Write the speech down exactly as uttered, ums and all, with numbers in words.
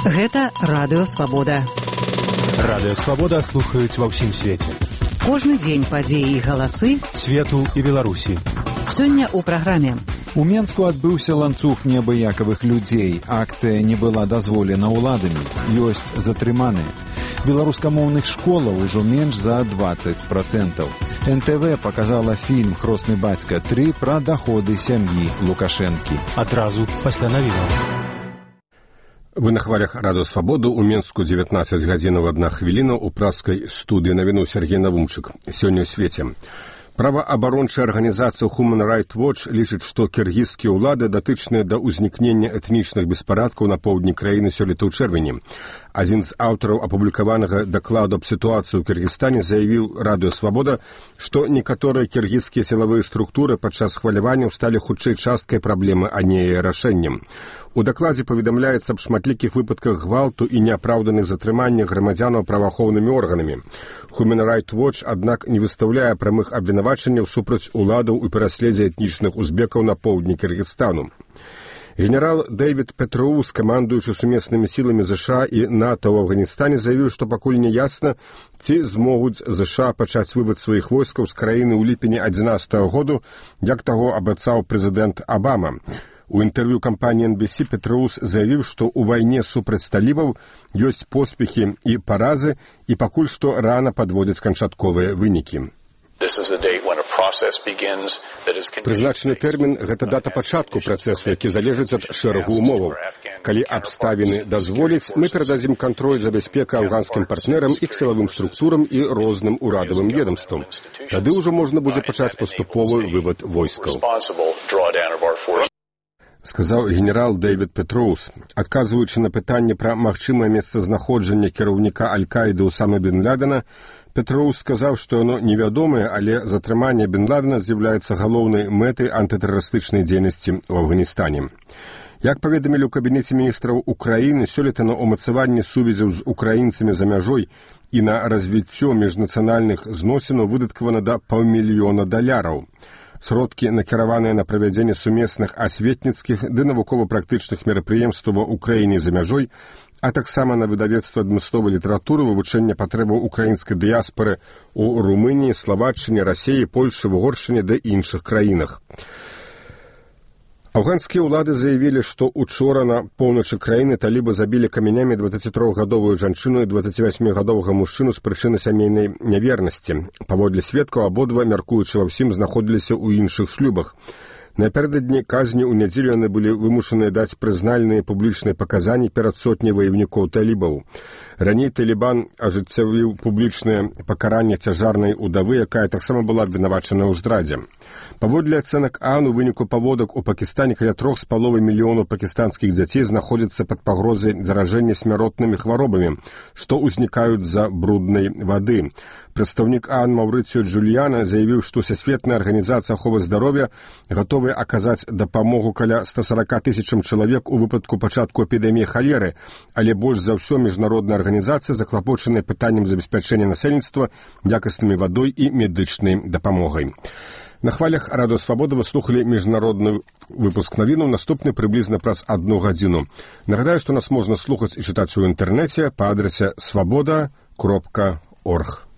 Гэта Радыё Свабода. Радыё Свабода слухаюць ва ўсім свеце. Кожны дзень падзеі і галасы свету і Беларусі. Сёння ў праграме. У Менску адбыўся ланцуг неабыякавых людзей. Акцыя не была дазволена ўладамі. Ёсць затрыманыя. Беларускамоўных школаў ужо менш за дваццаць працэнтаў. эн тэ вэ паказала фільм «Хросны бацька тры» пра даходы сям'і Лукашэнкі. Адразу пасля навінаў. Вы на хвалях Радыё Свабоду. У Менску дзевятнаццаць гадзінаў адна хвіліна. У праскай студыі навіну Сергей Навумчык. Сёння ў свеце. Праваабарончая арганізацыя Human Rights Watch лічыць, што кіргізскія ўлады датычныя да ўзнікнення этнічных беспарадкаў на поўдні краіны сёлета ў чэрвені. Адзін з аўтараў апублікаванага дакладу аб сітуацыі ў Кіргізстане заявіў Радыё Свабода, што некаторыя кіргізскія сілавыя структуры падчас хваляванняў сталі хутчэй часткай праблемы, а не яе рашэннем. У дакладзе паведамляецца аб шматлікіх выпадках гвалту і неапраўданых затрыманнях грамадзянаў праваахоўнымі органамі. Human Rights Watch, аднак, не выстаўляе прамых абвінавачанняў супраць уладаў у пераследзе этнічных узбекаў на поўдні Кіргізстану. Генерал Дэвід Петроус, камандуючы сумеснымі сіламі ЗША і НАТО ў Афганістане, заявіў, што пакуль не ясна, ці змогуць ЗША пачаць вывад сваіх войскаў з краіны ў ліпені адзінаццатага году, як таго абяцаў прэзідэнт Абама. У інтэрв'ю кампаніі эн би сі Петроус заявіў, што ў вайне супраць талібаў ёсць поспехі і паразы, і пакуль што рана падводзяць канчатковыя вынікі. Прызначаны тэрмін – гэта дата пачатку працэсу, які залежыць ад шэрагу умоваў. Калі абставіны дазволяць, мы перададзім кантроль за бяспекай афганскім партнерам, іх сілавым структурам і розным урадавым ведамствам. Тады ўжо можна будзе пачаць паступовы вывад войскаў. Сказаў генерал Дэвід Петроус. Адказваючы на пытанне пра магчымае месцазнаходжанне кіраўніка Аль-Каіды Усамы бен Ладена, Петроус сказаў, што яно невядомае, але затрыманне бен Ладена з'яўляецца галоўнай мэтай антытэрарыстычнай дзейнасці ў Афганістане. Як паведамілі ў кабінеце міністраў Украіны, сёлета на ўмацаванне сувязяў з украінцамі за мяжой і на развіццё міжнацыянальных зносінаў выдаткавана да паўмільёна даляраў. Сродкі накіраваныя на правядзенне сумесных асветніцкіх ды навукова-практычных мерапрыемстваў у краіне за мяжой, а таксама на выдавецтва адмысловай літаратуры, вывучэння патрэбаў украінскай дыяспары ў Румыніі, Славаччыне, Расіі, Польшы, Угоршчыне ды іншых краінах. Афганскія ўлады заявілі, што учора на поўначы краіны талібы забілі камянямі дваццацітрохгадовую жанчыну і дваццацівасьмігадовага мужчыну з прычыны сямейнай нявернасці. Паводле сведкаў, абодва, мяркуючы ва ўсім, знаходзіліся ў іншых шлюбах. Напярэдадні казні ў нядзелю яны былі вымушаныя даць прызнальныя публічныя паказанні перад сотняй ваявнікоў талібаў. Раней Талібан ажыццявіў публічнае пакаранне цяжарнай удавы, якая таксама была абвінавачана ў здрадзе. Паводле ацэнак ААН, у выніку паводак у Пакістане каля трох з паловай мільёнаў пакістанскіх дзяцей знаходзяцца пад пагрозай заражэння смяротнымі хваробамі, што ўзнікаюць з-за бруднай вады. Прадстаўнік ААН Маўрыцыё Джуліяна заявіў, што Всесветная арганізацыя аховы здароўя гатовая аказаць дапамогу каля ста сорока тысячам чалавек у выпадку пачатку эпідэміі халеры, але больш за ўсё міжнародная арганізацыя заклапочаная пытаннем забеспячэння насельніцтва якаснымі вадой і медычнай дапамогай. На хвалях Радыё Свабода вы слухалі міжнародны выпуск навінаў, наступны прыблізна праз адну гадзіну. Нагадаю, што нас можна слухаць і чытаць у інтэрнэце па адрасе свабода кропка орг.